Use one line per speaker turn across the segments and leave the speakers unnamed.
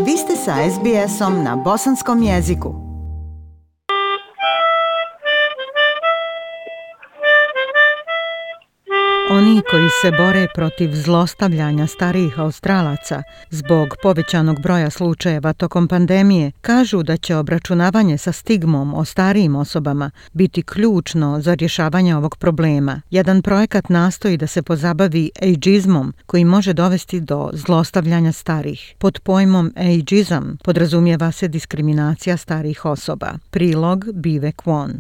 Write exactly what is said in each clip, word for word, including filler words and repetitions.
Vi ste sa es bi esom na bosanskom jeziku. Oni koji se bore protiv zlostavljanja starijih Australaca zbog povećanog broja slučajeva tokom pandemije kažu da će obračunavanje sa stigmom o starijim osobama biti ključno za rješavanje ovog problema. Jedan projekat nastoji da se pozabavi ageizmom koji može dovesti do zlostavljanja starih. Pod pojmom ageizam podrazumijeva se diskriminacija starijih osoba. Prilog Bive Kwon.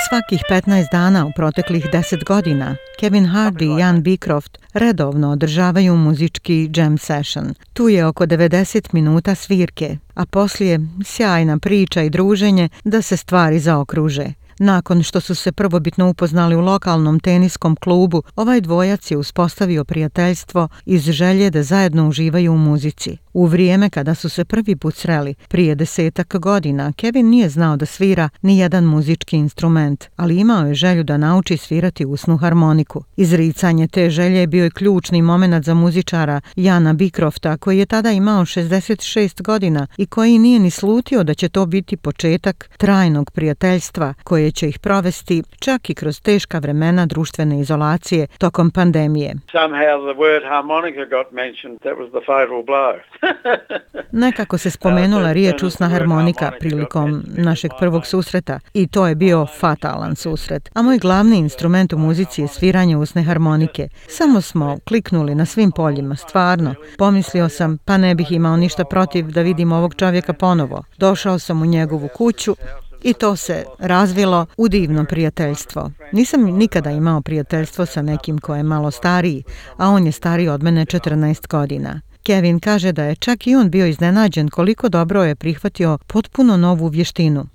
Svakih petnaest dana u proteklih deset godina Kevin Hardy i Ian Beecroft redovno održavaju muzički jam session. Tu je oko devedeset minuta svirke, a poslije sjajna priča i druženje da se stvari zaokruže. Nakon što su se prvobitno upoznali u lokalnom teniskom klubu, ovaj dvojac je uspostavio prijateljstvo iz želje da zajedno uživaju u muzici. U vrijeme kada su se prvi put sreli, prije desetak godina, Kevin nije znao da svira ni jedan muzički instrument, ali imao je želju da nauči svirati usnu harmoniku. Izricanje te želje je bio je ključni moment za muzičara Iana Beecrofta, koji je tada imao šezdeset šest godina i koji nije ni slutio da će to biti početak trajnog prijateljstva koje će ih provesti čak i kroz teška vremena društvene izolacije tokom pandemije. Nekako se spomenula riječ usna harmonika prilikom našeg prvog susreta i to je bio fatalan susret. A moj glavni instrument u muzici je sviranje usne harmonike. Samo smo kliknuli na svim poljima, stvarno. Pomislio sam, pa ne bih imao ništa protiv da vidim ovog čovjeka ponovo. Došao sam u njegovu kuću i to se razvilo u divno prijateljstvo. Nisam nikada imao prijateljstvo sa nekim ko je malo stariji, a on je stariji od mene četrnaest godina. Kevin kaže da je čak i on bio iznenađen koliko dobro je prihvatio potpuno novu vještinu.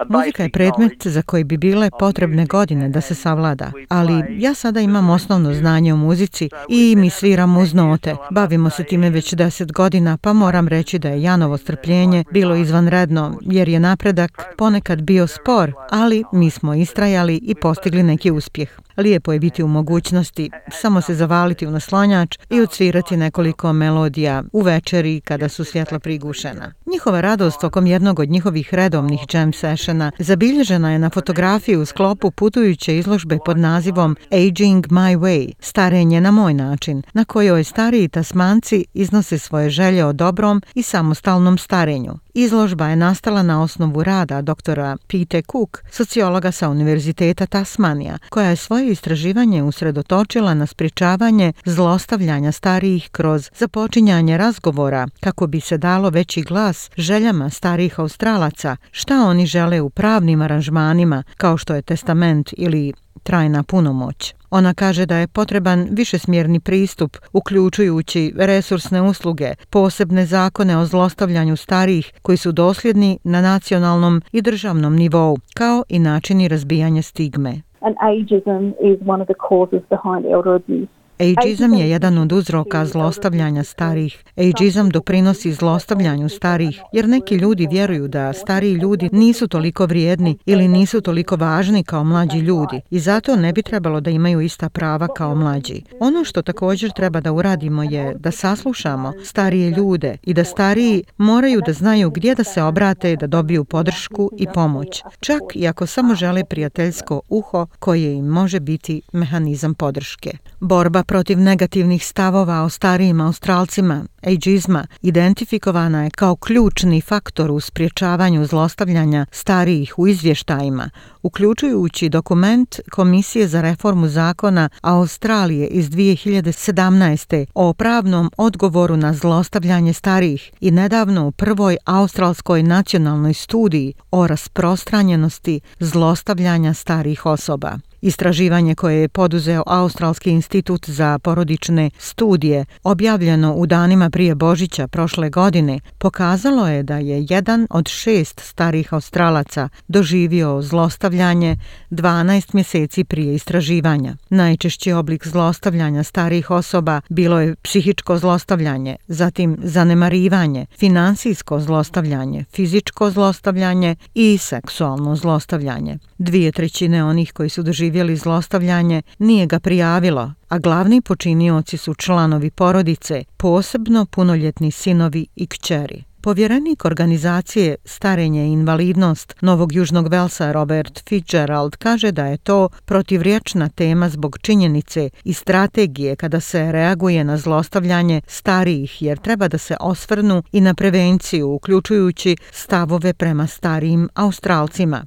Muzika je predmet za koji bi bile potrebne godine da se savlada, ali ja sada imam osnovno znanje o muzici i mi sviram uz note. Bavimo se time već deset godina, pa moram reći da je Janovo strpljenje bilo izvanredno, jer je napredak ponekad bio spor, ali mi smo istrajali i postigli neki uspjeh. Lijepo je biti u mogućnosti samo se zavaliti u naslonjač i odsvirati nekoliko melodija u večeri kada su svjetla prigušena. Njihova radost tokom jednog od njihovih redovnih jam sessiona zabilježena je na fotografiji u sklopu putujuće izložbe pod nazivom Aging My Way, starenje na moj način, na kojoj stariji Tasmanci iznose svoje želje o dobrom i samostalnom starenju. Izložba je nastala na osnovu rada doktora Pete Cook, sociologa sa Univerziteta Tasmanija, koja je svoje istraživanje usredotočila na sprječavanje zlostavljanja starijih kroz započinjanje razgovora kako bi se dalo veći glas željama starijih Australaca, šta oni žele u pravnim aranžmanima kao što je testament ili trajna punomoć. Ona kaže da je potreban višesmjerni pristup, uključujući resursne usluge, posebne zakone o zlostavljanju starijih koji su dosljedni na nacionalnom i državnom nivou, kao i načini razbijanja stigme.
And ageism is one of the causes behind elder abuse.
Ageizam je jedan od uzroka zlostavljanja starih. Ageizam doprinosi zlostavljanju starih, jer neki ljudi vjeruju da stariji ljudi nisu toliko vrijedni ili nisu toliko važni kao mlađi ljudi i zato ne bi trebalo da imaju ista prava kao mlađi. Ono što također treba da uradimo je da saslušamo starije ljude i da stariji moraju da znaju gdje da se obrate da dobiju podršku i pomoć, čak i ako samo žele prijateljsko uho koje im može biti mehanizam podrške. Borba protiv negativnih stavova o starijim Australcima, ageizma, identifikovana je kao ključni faktor u sprječavanju zlostavljanja starijih u izvještajima, uključujući dokument Komisije za reformu zakona Australije iz dvije hiljade sedamnaeste. o pravnom odgovoru na zlostavljanje starijih i nedavno u prvoj australskoj nacionalnoj studiji o rasprostranjenosti zlostavljanja starijih osoba. Istraživanje koje je poduzeo Australski institut za porodične studije, objavljeno u danima prije Božića prošle godine pokazalo je da je jedan od šest starih Australaca doživio zlostavljanje dvanaest mjeseci prije istraživanja. Najčešći oblik zlostavljanja starijih osoba bilo je psihičko zlostavljanje, zatim zanemarivanje, finansijsko zlostavljanje, fizičko zlostavljanje i seksualno zlostavljanje. Dvije trećine onih koji su doživjeli zlostavljanje nije ga prijavilo, a glavni počinioci su članovi porodice, posebno punoljetni sinovi i kćeri. Povjerenik organizacije Starenje i invalidnost Novog Južnog Velsa Robert Fitzgerald kaže da je to protivriječna tema zbog činjenice i strategije kada se reaguje na zlostavljanje starijih, jer treba da se osvrnu i na prevenciju, uključujući stavove prema starijim Australcima.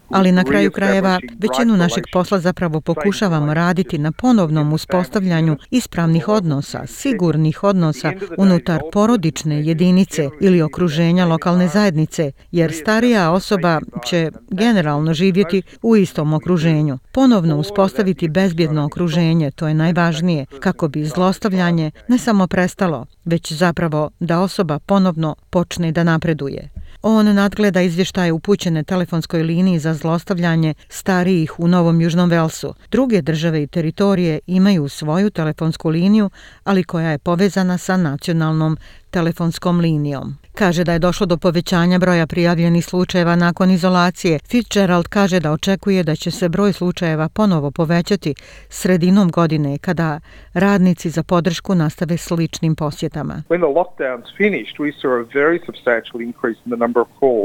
Ali na kraju krajeva većinu našeg posla zapravo pokušavamo raditi na ponovnom uspostavljanju ispravnih odnosa, sigurnih odnosa unutar porodične jedinice ili okruženja lokalne zajednice, jer starija osoba će generalno živjeti u istom okruženju. Ponovno uspostaviti bezbjedno okruženje, to je najvažnije, kako bi zlostavljanje ne samo prestalo, već zapravo da osoba ponovno počne da napreduje. On nadgleda izvještaje upućene telefonskoj liniji za zlostavljanje starijih u Novom Južnom Velsu. Druge države i teritorije imaju svoju telefonsku liniju, ali koja je povezana sa nacionalnom telefonskom linijom. Kaže da je došlo do povećanja broja prijavljenih slučajeva nakon izolacije. Fitzgerald kaže da očekuje da će se broj slučajeva ponovo povećati sredinom godine kada radnici za podršku nastave sličnim posjetama.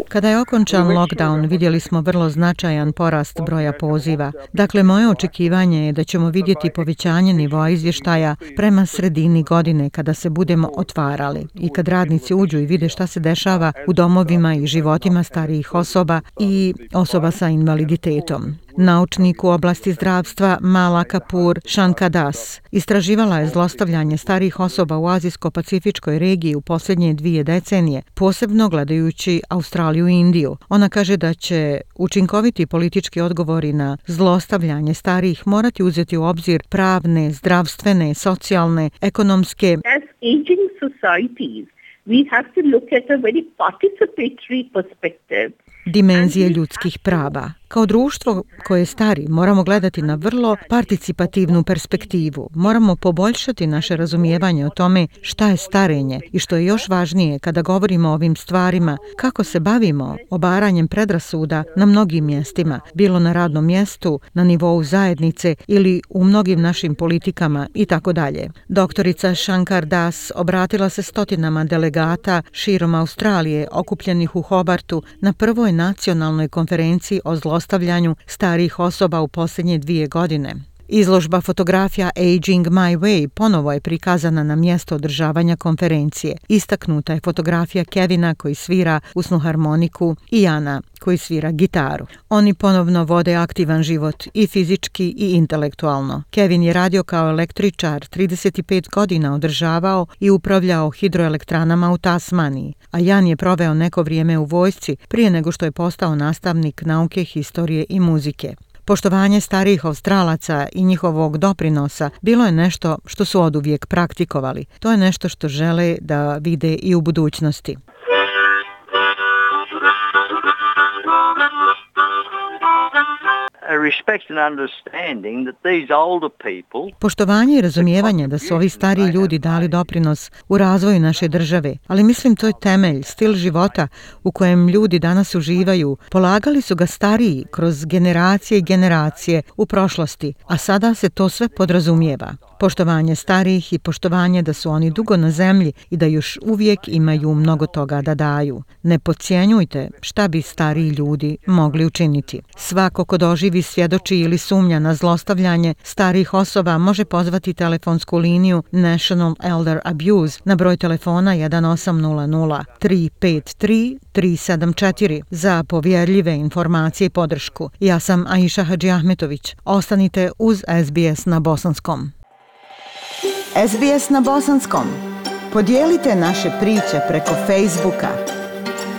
Kada je okončan lockdown, vidjeli smo vrlo značajan porast broja poziva. Dakle, moje očekivanje je da ćemo vidjeti povećanje nivoa izvještaja prema sredini godine kada se budemo otvarali i kad radnici uđu i vide šta se dešava u domovima i životima starijih osoba i osoba sa invaliditetom. Naučnik u oblasti zdravstva Mala Kapur Shankadas istraživala je zlostavljanje starijih osoba u azijsko-pacifičkoj regiji u posljednje dvije decenije, posebno gledajući Australiju i Indiju. Ona kaže da će učinkoviti politički odgovori na zlostavljanje starijih morati uzeti u obzir pravne, zdravstvene, socijalne, ekonomske.
As aging societies, we have to look at a very participatory perspective.
Dimenzije ljudskih prava. Kao društvo koje stari moramo gledati na vrlo participativnu perspektivu. Moramo poboljšati naše razumijevanje o tome šta je starenje i što je još važnije kada govorimo o ovim stvarima, kako se bavimo obaranjem predrasuda na mnogim mjestima, bilo na radnom mjestu, na nivou zajednice ili u mnogim našim politikama i tako dalje. Doktorica Shankar Das obratila se stotinama delegata širom Australije okupljenih u Hobartu na prvoj nacionalnoj konferenciji o zlostavljanju starijih osoba u posljednje dvije godine. Izložba fotografija Aging My Way ponovo je prikazana na mjesto održavanja konferencije. Istaknuta je fotografija Kevina koji svira usnu harmoniku i Jana koji svira gitaru. Oni ponovno vode aktivan život i fizički i intelektualno. Kevin je radio kao električar, trideset pet godina održavao i upravljao hidroelektranama u Tasmaniji, a Jan je proveo neko vrijeme u vojsci prije nego što je postao nastavnik nauke, historije i muzike. Poštovanje starijih Australaca i njihovog doprinosa bilo je nešto što su oduvijek praktikovali. To je nešto što žele da vide i u budućnosti. Poštovanje i razumijevanje da su ovi stariji ljudi dali doprinos u razvoju naše države, ali mislim to je temelj, stil života u kojem ljudi danas uživaju. Polagali su ga stariji kroz generacije i generacije u prošlosti, a sada se to sve podrazumijeva. Poštovanje starijih i poštovanje da su oni dugo na zemlji i da još uvijek imaju mnogo toga da daju. Ne podcjenjujte šta bi stariji ljudi mogli učiniti. Svako ko doživi, svjedoči ili sumnja na zlostavljanje starijih osoba može pozvati telefonsku liniju National Elder Abuse na broj telefona jedan osam nula nula tri pet tri tri sedam četiri za povjerljive informacije i podršku. Ja sam Aisha Hadžiahmetović. Ostanite uz S B S na bosanskom.
S B S na bosanskom. Podijelite naše priče preko Facebooka.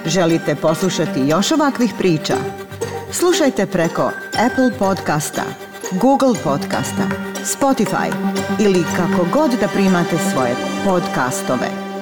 Želite poslušati još ovakvih priča? Slušajte preko Apple podcasta, Google Podcasta, Spotify ili kako god da primate svoje podcastove.